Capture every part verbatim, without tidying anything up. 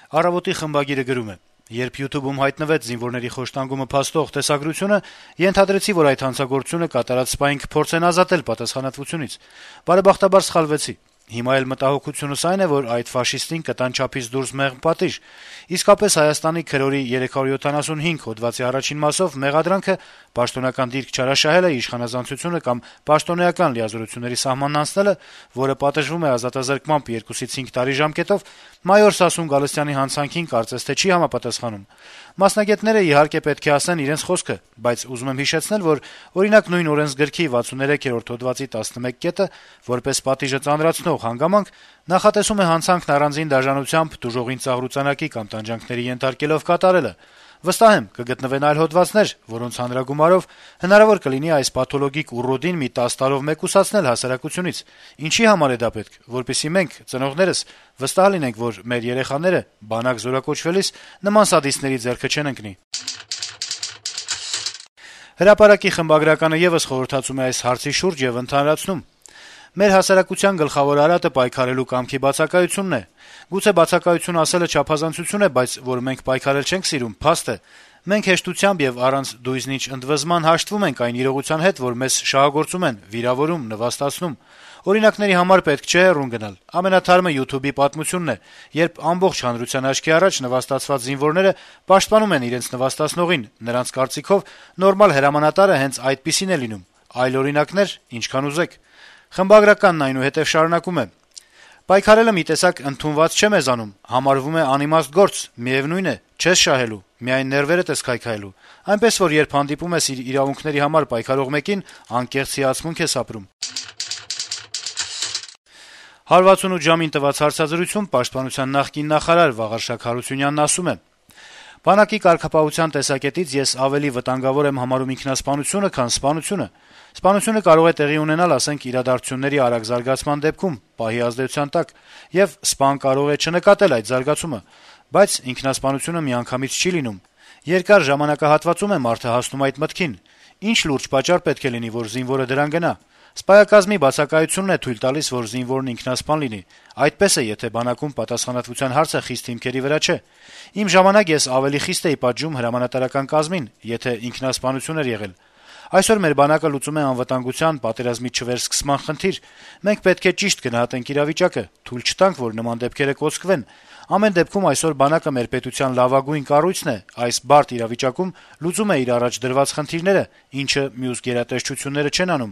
Առավոտի խմբագիրը գրում է. - «Երբ YouTube-ում հայտնվեց զինվորների խոշտանգումը փաստող տեսագրությունը, ենթադրեցի, որ այդ հանցագործությունը կատարած սպային կփորձեն ազատել պատասխանատվությունից: Բարեբախտաբար սխալվեցի: Հիմա էլ մտահոգությունս այն է, որ այդ ֆաշիստին կտան չափից դուրս մեղմ պատիժ: Իսկապես Հայաստանի քրորի երեք հարյուր յոթանասունհինգ հոդվածի առաջին մասով մեղադրանքը պաշտոնական դիրք չարաշահելը, իշխանազանցությունը կամ պաշտոնեական լիազորությունների սահմանն անցնելը, որը պատժվում է ազատազրկմամբ երկուսից հինգ տարի ժամկետով, մայոր Սասուն Գալստյանի հանցանքին կարծես թե չի համապատասխանում: Մասնագետները, իհարկե, պետք է ասեն իրենց խոսքը, բայց ուզում եմ հիշեցնել, որ, օրինակ, նույն օրենսգրքի վաթսուններեքերորդ հոդվածի տասնմեկ կետը, որպես պատիժը ծանրացնող հանգամանք, նախատեսում է հանցանքն առանձին դաժանությամբ, տուժողին ծաղրուծանակի կամ տանջանքների ենթարկելով կատարելը: Վստահ եմ, կգտնվեն այլ հոդվածներ, որոնց հանրագումարով հնարավոր կլինի այս պաթոլոգիկ ուռոդին մի տասը տարով մեկուսացնել հասարակությունից: Ինչի համար է դա պետք: Որպեսզի մենք, ծնողներս, վստահ լինենք, որ մեր երեխաները բանակ զորակոչվելիս նման սադիստների ձեռքը չեն ընկնի»: «Հրապարակ»-ի խմբագրականը եւս խորհրդածում է այս հարցի շուրջ եւ ընդհանրացնում. - «Մեր հասարակության գլխավոր արատը պայքարելու կամքի բացակայությունն է: Գուցե բացակայություն ասելը չափազանցություն է, բայց որ մենք պայքարել չենք սիրում, փաստ է: Մենք հեշտությամբ եւ առանց դույզնիչ ընդվզման հաշտվում ենք այն իրողության հետ, որ մեզ շահագործում են, վիրավորում, նվաստացնում: Օրինակների համար պետք չէ հեռուն գնալ: Ամենաթարմը YouTube-ի պատմությունն է, երբ ամբողջ հանրության աչքի առաջ նվաստացված զինվորները պաշտպանում են իրենց նվաստացնողին: Նրանց կարծիքով նորմալ հրամանատարը հենց այդպիսին է լինում: Այլ օրինակներ` ինչքան ուզեք»: Խմբագրականն այնուհետեւ շարունակում է. - «Պայքարելը մի տեսակ ընդունված չէ մեզանում, համարվում է անիմաստ գործ, միեւնույն է, չես շահելու, միայն ներվերդ ես քայքայելու: Այնպես որ, երբ հանդիպում ես իր իրավունքների համար պայքարող մեկին, անկեղծ հիացմունք ես ապրում»: «հարյուր վաթսունութ ժամ»-ին տված հարցազրույցում Պաշտպանության նախկին նախարար Վաղարշակ Հարությունյանն ասում է. - «Բանակի կարգապահության տեսակետից ես ավելի վտանգավոր եմ համարում ինքնասպանությունը, քան սպանությունը: Սպանությունը կարող է տեղի ունենալ, ասենք, իրադարձությունների արագ զարգացման դեպքում, պահի ազդեցության տակ, եւ սպան կարող է չնկատել այդ զարգացումը: Բայց ինքնասպանությունը միանգամից չի լինում: Երկար ժամանակահատվածում է մարդը հասնում այդ մտքին: Ինչ լուրջ պատճառ պետք է լինի, որ զինվորը դրան գնա: Սպայակազմի բացակայությունն է թույլ տալիս, որ զինվորն ինքնասպան լինի: Այդպես է, եթե բանակում պատասխանատվության հարցը խիստ հիմքերի վրա չէ: Իմ ժամանակ ես ավելի խիստ էի պատժում հրամանատարական կազմին, եթե ինքնասպանություն էր եղել: Այսօր մեր բանակը լուծում է անվտանգության, պատերազմի չվերսկսման խնդիր: Մենք պետք է ճիշտ գնահատենք իրավիճակը, թույլ չտանք, որ նման դեպքերը կոծկվեն: Ամեն դեպքում այսօր բանակը մեր պետության լավագույն կառույցն է, այս բարդ իրավիճակում լուծում է իր առաջ դրված խնդիրները, ինչը մյուս գերատեսչությունները չեն անում»: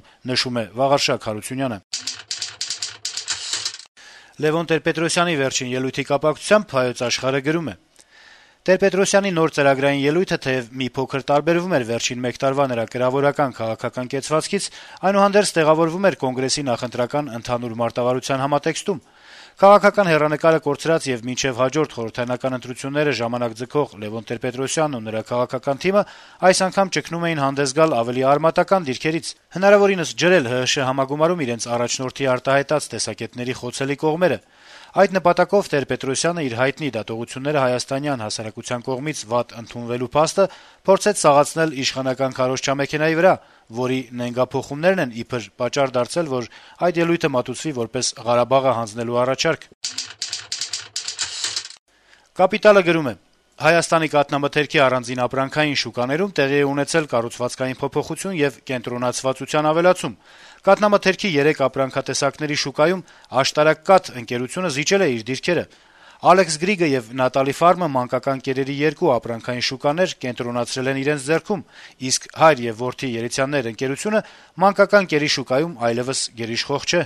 Լեւոն Տեր-Պետրոսյանի վերջին ելույթի կապակցությամբ «Հայոց Աշխարհ»-ը գրում է. - Տեր-Պետրոսյանի նոր ծրագրային ելույթը թեեւ մի փոքր տարբերվում էր վերջին մեկ տարվա նրա կրավորական-քաղաքական կեցվածքից, այնուհանդերձ տեղավորվում էր Կոնգրեսի նախընտրական ընդհանուր մարտավարության համատեքստում: Քաղաքական հեռանկարը կորցրած եւ մինչեւ հաջորդ խորհրդարանական ընտրությունները ժամանակ ձգող Լեւոն Տեր-Պետրոսյանն ու նրա քաղաքական թիմը այս անգամ ճգնում էին հանդես գալ ավելի արմատական դիրքերից, հնարավորինս ջրել ՀՀՇ համագումարում իրենց առաջնորդի արտահայտած տեսակետների խոցելի կողմերը: Այդ նպատակով Տեր-Պետրոսյանը իր հայտնի դատողությունները հայաստանյան հասարակության կողմից վատ ընդունվելու փաստը փորձեց սաղացնել իշխանական քարոզչամեքենայի վրա, որի նենգափոխումներն են իբր պատճառ դարձել, որ այդ ելույթը մատուցվի որպես Ղարաբաղը հանձնելու առաջարկ: «Կապիտալ»-ը գրում է. - «Հայաստանի կաթնամթերքի առանձին ապրանքային շուկաներում տեղի է ունեցել կառուցվածքային փոփոխություն եւ կենտրոնացվածության ավելացում: Կաթնամթերքի երեք ապրանքատեսակների շուկայում «Աշտարակ» ընկերությունը զիջել է իր դիրքերը: «Ալեքս Գրիգը» եւ «Նատալի Ֆարմը» մանկական կերերի երկու ապրանքային շուկաներ կենտրոնացրել են իրենց ձեռքում, իսկ «Հայր եւ որդի» երիցյաններ ընկերությունը մանկական կերի շուկայում այլեւս գերիշխող չէ»: